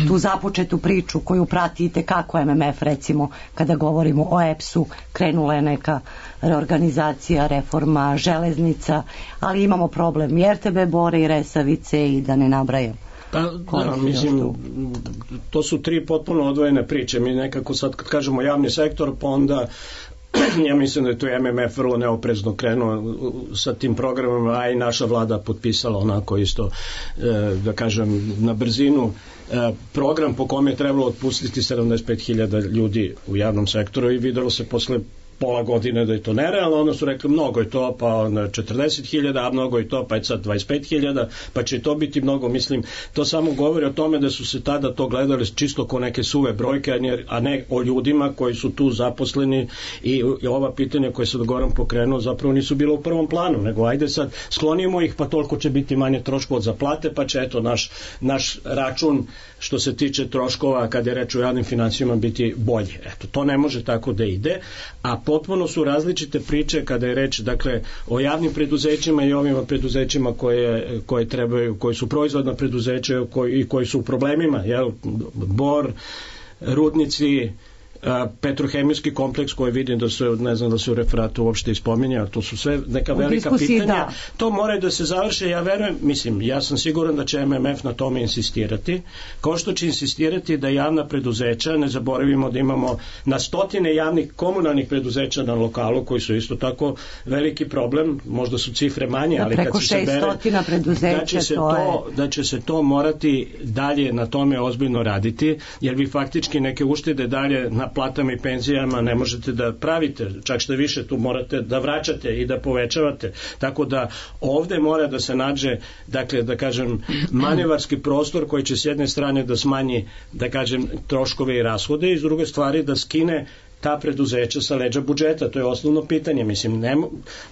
tu započetu priču koju pratite kako MMF, recimo, kada govorimo o EPS-u, krenula je neka reorganizacija, reforma železnica, ali imamo problem i RTB Bore i Resavice i da ne nabrajam. Mislim, to su 3 potpuno odvojene priče. Mi nekako sad kad kažemo javni sektor, pa onda ja mislim da je to MMF vrlo neoprezno krenuo sa tim programom, a i naša vlada potpisala onako isto, da kažem, na brzinu program po kome je trebalo otpustiti 75.000 ljudi u javnom sektoru i videlo se posle pola godine da je to nerealno, onda su rekli mnogo je to, pa 40.000, a mnogo je to, pa je sad 25.000, pa će to biti mnogo. Mislim, to samo govori o tome da su se tada to gledali čisto ko neke suve brojke, a ne o ljudima koji su tu zaposleni, i ova pitanja koje se Goran pokrenuo zapravo nisu bila u prvom planu, nego ajde sad sklonimo ih, pa toliko će biti manje troškova za plate, pa će eto naš račun što se tiče troškova kad je reč o javnim financijama biti bolji. Eto, to ne može tako da ide, a potpuno su različite priče kada je reč, dakle, o javnim preduzećima i ovim preduzećima koje trebaju, koji su proizvodna preduzeća i koji su u problemima, jel, Bor, rudnici, petrohemijski kompleks koji vidim da se, ne znam da se u referatu uopšte ispominja, to su sve neka velika pitanja, da. To mora da se završe, ja verujem, mislim, ja sam siguran da će MMF na tome insistirati, kao što će insistirati da javna preduzeća, ne zaboravimo da imamo na stotine javnih komunalnih preduzeća na lokalu koji su isto tako veliki problem, možda su cifre manje, ali kad se bere da će se to morati dalje na tome ozbiljno raditi, jer vi faktički neke uštede dalje na platama i penzijama ne možete da pravite, čak što više tu morate da vraćate i da povećavate, tako da ovde mora da se nađe, dakle, da kažem, manevarski prostor koji će s jedne strane da smanji, da kažem, troškove i rashode i s druge stvari da skine ta preduzeća sa leđa budžeta. To je osnovno pitanje. Mislim,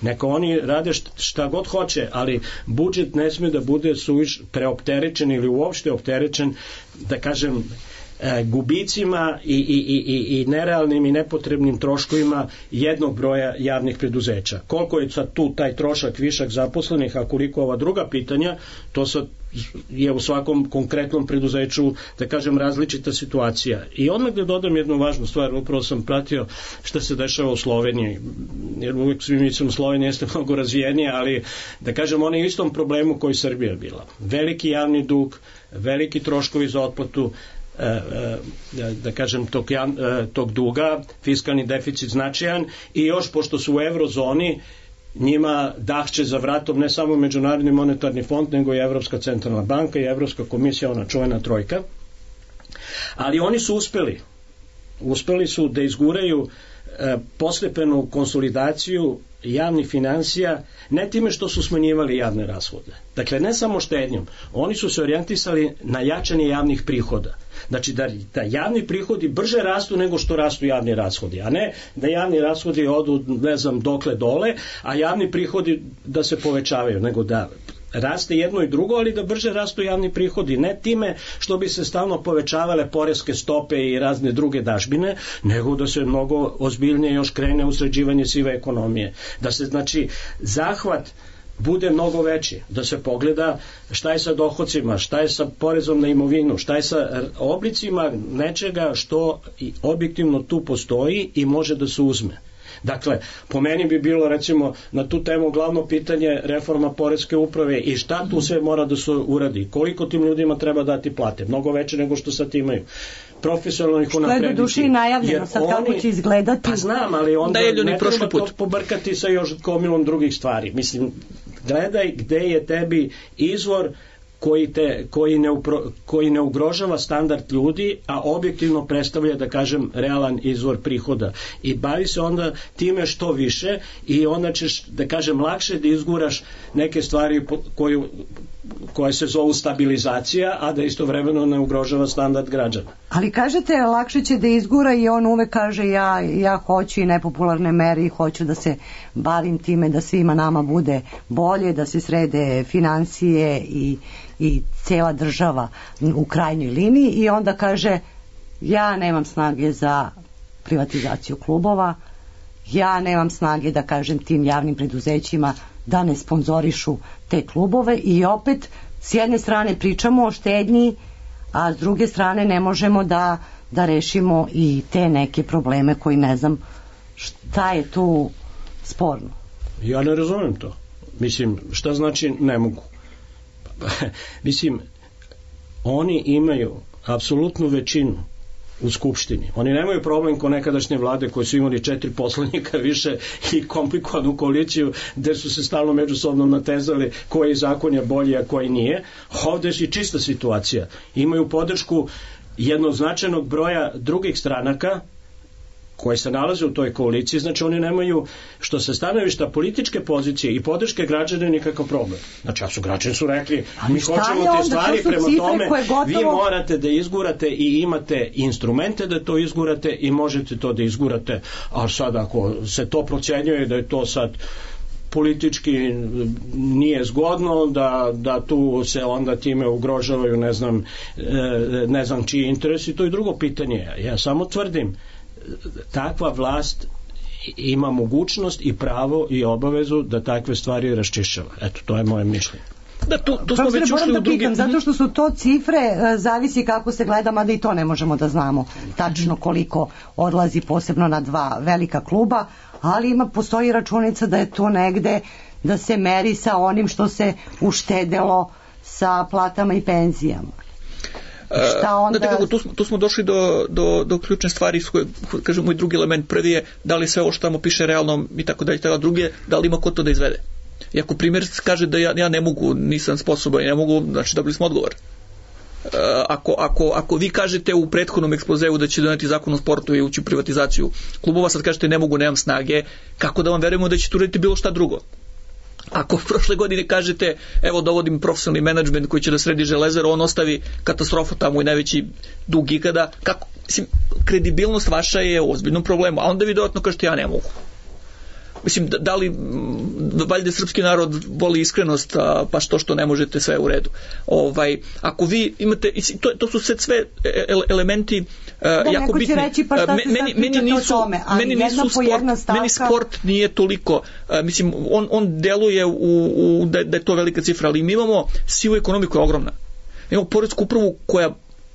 neka oni rade šta god hoće, ali budžet ne sme da bude suviš preopterećen ili uopšte opterećen, da kažem, gubicima i nerealnim i nepotrebnim troškovima jednog broja javnih preduzeća. Koliko je sad tu taj trošak, višak zaposlenih, a koliko ova druga pitanja, to sad je u svakom konkretnom preduzeću, da kažem, različita situacija. I odmah da dodam jednu važnu stvar, upravo sam pratio šta se dešava u Sloveniji, jer uvijek svi mislim Slovenija jeste mnogo razvijenija, ali da kažem, ona je u istom problemu koji Srbija bila. Veliki javni dug, veliki troškovi za otplatu, da kažem, tog duga, fiskalni deficit značajan, i još pošto su u eurozoni, njima dahće za vratom ne samo Međunarodni monetarni fond, nego i Evropska centralna banka i Evropska komisija, ona čuvena trojka. Ali oni su uspeli su da izguraju postepenu konsolidaciju javnih financija, ne time što su smanjivali javne rashode. Dakle, ne samo štednjom, oni su se orijentisali na jačanje javnih prihoda. Znači, da javni prihodi brže rastu nego što rastu javni rashodi, a ne da javni rashodi odu, ne znam, dokle dole, a javni prihodi da se povećavaju, nego da raste jedno i drugo, ali da brže rastu javni prihodi, ne time što bi se stalno povećavale poreske stope i razne druge dažbine, nego da se mnogo ozbiljnije još krene u sređivanje sive ekonomije. Da se, znači, zahvat bude mnogo veći, da se pogleda šta je sa dohodcima, šta je sa porezom na imovinu, šta je sa oblicima nečega što objektivno tu postoji i može da se uzme. Dakle, po meni bi bilo, recimo, na tu temu glavno pitanje reforma poreske uprave i šta tu sve mora da se uradi, koliko tim ljudima treba dati plate, mnogo veće nego što sad imaju, profesionalno ih unaprediti. Što je do duše i najavljeno, sad kako će izgledati. Pa znam, ali onda ne treba to pobrkati sa još gomilom drugih stvari. Mislim, gledaj gde je tebi izvor koji ne ugrožava standard ljudi, a objektivno predstavlja, da kažem, realan izvor prihoda. I bavi se onda time što više i onda ćeš, da kažem, lakše da izguraš neke stvari koje se zovu stabilizacija, a da istovremeno ne ugrožava standard građana. Ali kažete, lakše će da izgura i on uvek kaže ja hoću i nepopularne mere i hoću da se bavim time da svima nama bude bolje, da se srede financije i cela država u krajnjoj liniji, i onda kaže ja nemam snage za privatizaciju klubova, ja nemam snage da kažem tim javnim preduzećima da ne sponzorišu te klubove, i opet s jedne strane pričamo o štednji, a s druge strane ne možemo da rešimo i te neke probleme koji ne znam šta je tu sporno. Ja ne razumem to. Mislim, šta znači ne mogu? Mislim, oni imaju apsolutnu većinu u Skupštini. Oni nemaju problem ko nekadašnje vlade koje su imali 4 poslanika više i komplikovanu koaliciju gde su se stalno međusobno natezali koji zakon je bolji, a koji nije. Ovde je čista situacija. Imaju podršku jednog značajnog broja drugih stranaka koji se nalaze u toj koaliciji, znači oni nemaju, što se stanovišta političke pozicije i podrške građana, nikakav problem. Znači, su građani su rekli, mi hoćemo te stvari, prema tome vi morate da izgurate i imate instrumente da to izgurate i možete to da izgurate, a sad ako se to procenjuje da je to sad politički nije zgodno, da tu se onda time ugrožavaju ne znam čiji interes, i to je drugo pitanje. Ja samo tvrdim, takva vlast ima mogućnost i pravo i obavezu da takve stvari raščišćava. Eto, to je moje mišljenje. Da, tu smo već ušli u drugi... Zato što su to cifre, zavisi kako se gleda, mada i to ne možemo da znamo tačno koliko odlazi, posebno na dva velika kluba, ali postoji računica da je to negde, da se meri sa onim što se uštedelo sa platama i penzijama. Šta onda... Znate kako, tu smo došli do ključne stvari, kažem, moj drugi element, prvi je da li sve ovo što tamo piše realno i tako dalje, drugi je da li ima ko to da izvede. I ako primjer kaže da ja ne mogu, nisam sposoban i ne mogu, znači dobili smo odgovor. Ako vi kažete u prethodnom ekspozeu da će doneti zakon o sportu i ući u privatizaciju klubova, sad kažete ne mogu, nemam snage, kako da vam verujemo da ćete uraditi bilo šta drugo? Ako prošle godine kažete evo dovodim profesionalni menadžment koji će da sredi Železaru, on ostavi katastrofu tamo i najveći dug ikada, kako, mislim, kredibilnost vaša je u ozbiljnom problemu, a onda vi dodatno kažete ja ne mogu. Mislim, da li valjda srpski narod voli iskrenost, pa što ne možete, sve u redu. Ako vi imate, to su sve elementi jako bitni. Meni sport nije toliko, mislim, on deluje da je to velika cifra, ali mi imamo sivu ekonomiju koja je ogromna. Imamo poresku upravu koja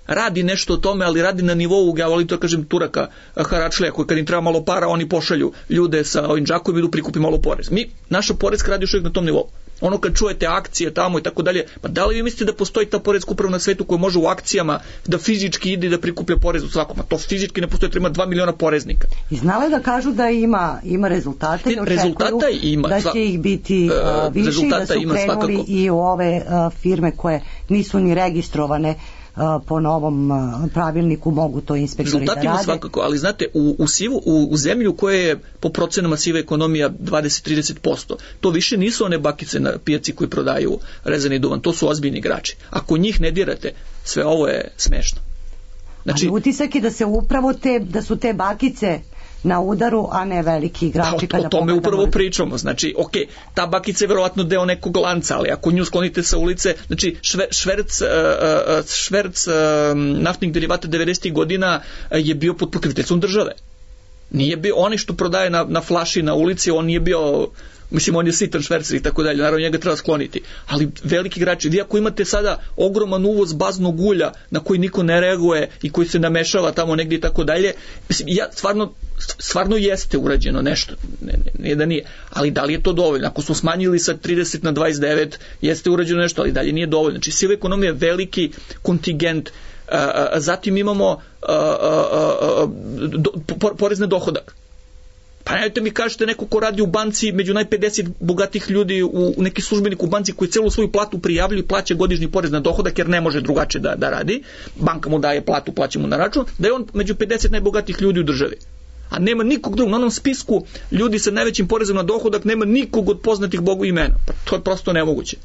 radi nešto o tome, ali radi na nivou, ja volim to kažem, Turaka, haračlija, koji kad im treba malo para, oni pošalju ljude sa ovim džakom i idu prikupi malo porez. Naša poreska radi još uvijek na tom nivou. Ono kad čujete akcije tamo i tako dalje, pa da li vi mislite da postoji ta poreska uprava na svetu koja može u akcijama da fizički ide da prikuplja porez u svakom? A to fizički ne postoji, treba 2 miliona poreznika. I znali da kažu da ima rezultate i očekuju da će ih biti više i da su krenuli i u ove firme koje nisu ni registrovane po novom pravilniku mogu to inspektori da rade. Rezultatima svakako, ali znate, u zemlju koja je po procenama siva ekonomija 20-30%, to više nisu one bakice na pijaci koji prodaju rezani duvan, to su ozbiljni igrači. Ako njih ne dirate, sve ovo je smešno. Znači, ali utisak je da se upravo da su te bakice na udaru, a ne veliki igrači. O tome upravo pričamo. Znači, ok, ta bakica je verovatno deo nekog lanca, ali ako nju sklonite sa ulice, znači šverc naftnih derivata 90. godina je bio pod pokroviteljstvom države. Nije bio, oni što prodaje na flaši na ulici, on nije bio, mislim, on je sitan švercer i tako dalje, naravno njega treba skloniti. Ali veliki igrači, vi ako imate sada ogroman uvoz baznog ulja na koji niko ne reaguje i koji se namešava tamo negdje i tako dalje, mislim, stvarno jeste urađeno nešto, ne da nije, ali da li je to dovoljno? Ako smo smanjili sa 30 na 29, jeste urađeno nešto, ali dalje nije dovoljno. Znači, siva ekonomija je veliki kontingent, zatim imamo porez na dohodak. Pa nemojte mi kažete neko ko radi u banci među 50 bogatih ljudi, u neki službenik u banci koji celu svoju platu prijavljuje i plaća godišnji porez na dohodak jer ne može drugačije da radi, banka mu daje platu, plaća mu na račun, da je on među 50 najbogatih ljudi u državi. A nema nikog drugog, na onom spisku ljudi sa najvećim porezom na dohodak nema nikog od poznatih Bogu imena. Pa to je prosto nemoguće.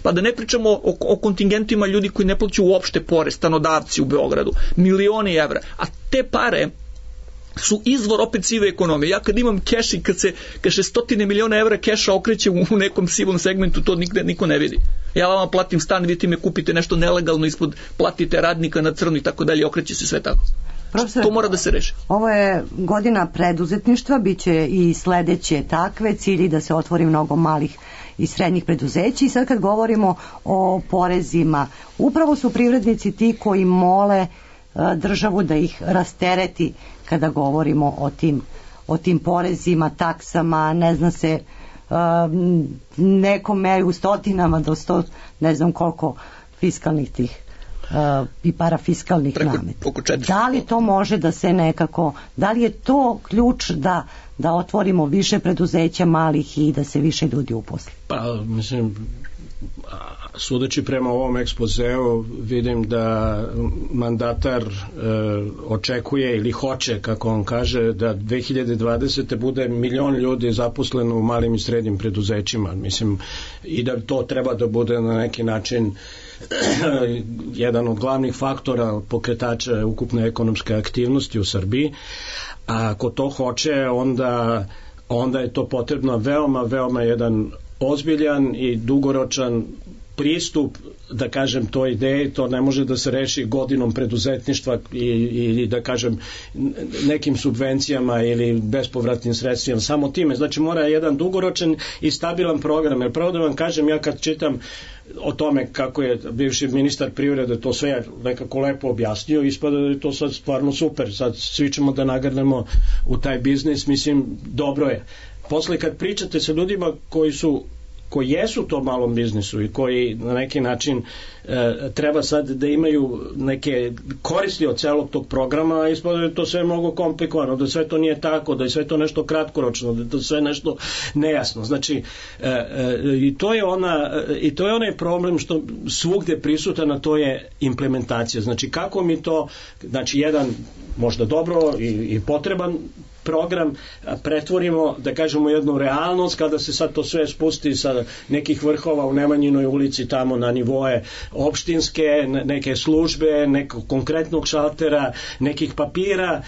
Pa da ne pričamo o kontingentima ljudi koji ne plaćaju uopšte porez, stanodavci u Beogradu, milioni evra, a te pare su izvor opet sive ekonomije. Ja kad imam keš i kad se 100 miliona evra keša okreće u nekom sivom segmentu, to niko ne vidi. Ja vama platim stan, vi ti me kupite nešto nelegalno ispod, platite radnika na crno i tako dalje, okreće se sve tako. To mora da se reši. Ovo je godina preduzetništva, bit će i sledeće takve, cilji da se otvori mnogo malih i srednjih preduzeća i sad kad govorimo o porezima, upravo su privrednici ti koji mole državu da ih rastereti kada govorimo o tim porezima, taksama, ne zna se, nekom meju stotinama do 100, ne znam koliko fiskalnih tih i parafiskalnih nameta. Da li to može da se nekako, da li je to ključ da otvorimo više preduzeća malih i da se više ljudi uposli? Pa, mislim, sudeći prema ovom ekspozeu vidim da mandatar očekuje ili hoće, kako on kaže, da 2020. bude 1 milion ljudi zaposleno u malim i srednjim preduzećima. Mislim, i da to treba da bude na neki način jedan od glavnih faktora pokretača ukupne ekonomske aktivnosti u Srbiji. A ako to hoće, onda je to potrebno veoma jedan ozbiljan i dugoročan pristup, da kažem, toj ideji. To ne može da se reši godinom preduzetništva i da kažem nekim subvencijama ili bespovratnim sredstvima, samo time. Znači mora jedan dugoročan i stabilan program. Jer pravo da vam kažem, ja kad čitam o tome kako je bivši ministar privrede to sve nekako lepo objasnio, ispada da je to sad stvarno super, sad svi ćemo da nagrnemo u taj biznis, mislim, dobro je. Posle kad pričate sa ljudima koji jesu u tom malom biznisu i koji na neki način treba sad da imaju neke koristi od celog tog programa, ispada da je to sve mnogo komplikovano, da sve to nije tako, da je sve to nešto kratkoročno, da je to sve nešto nejasno. Znači, i to je onaj problem što svugde prisutan, a to je implementacija. Znači, kako mi to, znači, jedan možda dobro i potreban program pretvorimo, da kažemo, jednu realnost, kada se sad to sve spusti sa nekih vrhova u Nemanjinoj ulici tamo na nivoe opštinske, neke službe, nekog konkretnog šaltera, nekih papira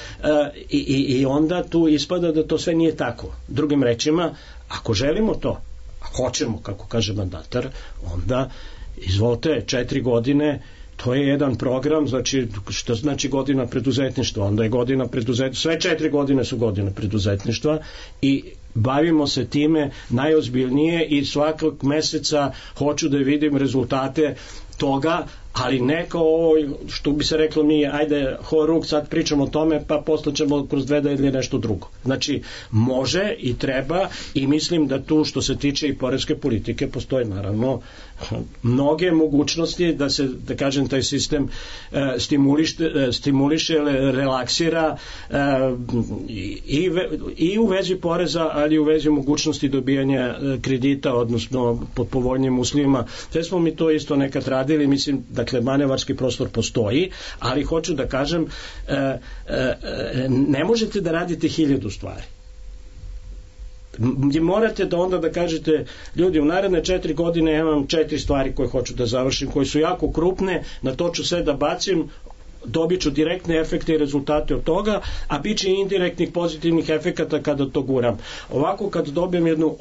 i onda tu ispada da to sve nije tako. Drugim rečima, ako želimo to, a hoćemo, kako kaže mandatar, onda izvolite 4 godine. To je jedan program, znači, što znači godina preduzetništva? Onda je godina preduzetništva, sve 4 godine su godine preduzetništva i bavimo se time najozbiljnije i svakog meseca hoću da vidim rezultate toga, ali ne kao ovo što bi se reklo mi, ajde horuk, sad pričamo o tome, pa posle ćemo kroz 2 ili nešto drugo. Znači, može i treba i mislim da tu što se tiče i poreske politike postoje naravno mnoge mogućnosti da se, da kažem, taj sistem stimuliše, relaksira i u vezi poreza, ali i u vezi mogućnosti dobijanja kredita, odnosno pod povoljnim uslovima. Sve smo mi to isto nekad radili, mislim, dakle, manevarski prostor postoji, ali hoću da kažem, ne možete da radite 1000 stvari. Morate da onda da kažete, ljudi, u naredne 4 godine ja imam 4 stvari koje hoću da završim, koje su jako krupne, na to ću sve da bacim, dobit ću direktne efekte i rezultate od toga, a bit će indirektnih pozitivnih efekata kada to guram. Ovako, kad dobijem jednu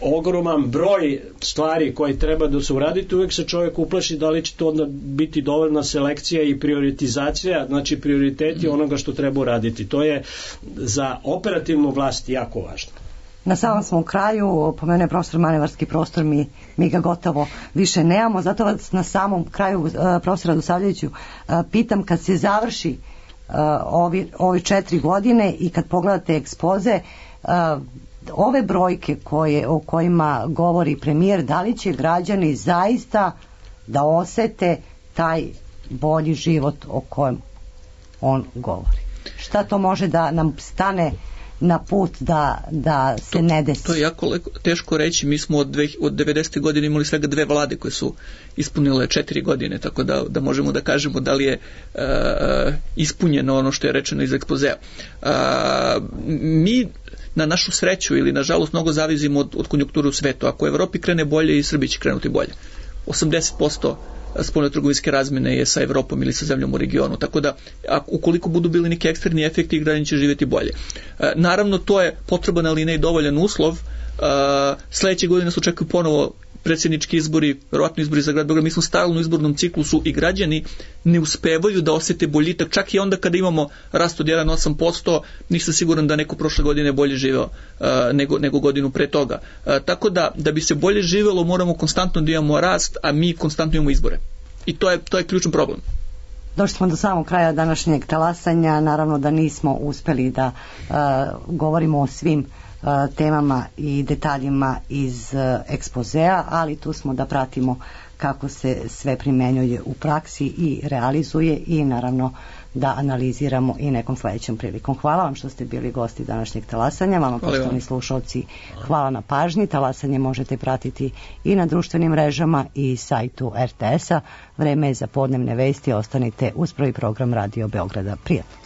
ogroman broj stvari koje treba da se uradite, uvek se čovjek uplaši da li će to onda biti dovoljna selekcija i prioritizacija, znači prioriteti onoga što treba uraditi. To je za operativnu vlast jako važno. Na samom smo kraju, pomene profesor manevarski prostor, mi ga gotovo više nemamo, zato vas na samom kraju, profesora Radosavljeviću, pitam, kad se završi ovi 4 godine i kad pogledate ekspoze, ove brojke o kojima govori premijer, da li će građani zaista da osete taj bolji život o kojem on govori? Šta to može da nam stane na put da se ne desi? To je jako teško reći. Mi smo od 90. godine imali svega 2 vlade koje su ispunile 4 godine, tako da možemo da kažemo da li je ispunjeno ono što je rečeno iz ekspozea. Mi na našu sreću ili nažalost mnogo zavisimo od konjunkture u svetu. Ako u Evropi krene bolje, i Srbiji će krenuti bolje. 80% spoljnotrgovinske razmene je sa Evropom ili sa zemljom u regionu, tako da ukoliko budu bili neki eksterni efekti, građani će živjeti bolje. Naravno, to je potreban, ali ne i dovoljan uslov. Sledeće godine se očekuju ponovo predsjednički izbori, verovatno izbori za grad Beograd. Mi smo stalno u izbornom ciklusu i građani ne uspevaju da osete boljitak, čak i onda kada imamo rast od 1,8%, nisam siguran da neko prošle godine bolje živeo nego godinu pre toga. Tako da bi se bolje živelo, moramo konstantno da imamo rast, a mi konstantno imamo izbore. I to je ključan problem. Došli smo do samog kraja današnjeg talasanja, naravno da nismo uspeli da govorimo o svim temama i detaljima iz ekspozea, ali tu smo da pratimo kako se sve primenjuje u praksi i realizuje i naravno da analiziramo i nekom sledećom prilikom. Hvala vam što ste bili gosti današnjeg talasanja, vama poštovani slušalci, hvala na pažnji. Talasanje možete pratiti i na društvenim mrežama i sajtu RTS-a. Vreme je za podnevne vesti, ostanite uz prvi program Radio Beograda. Prijatno.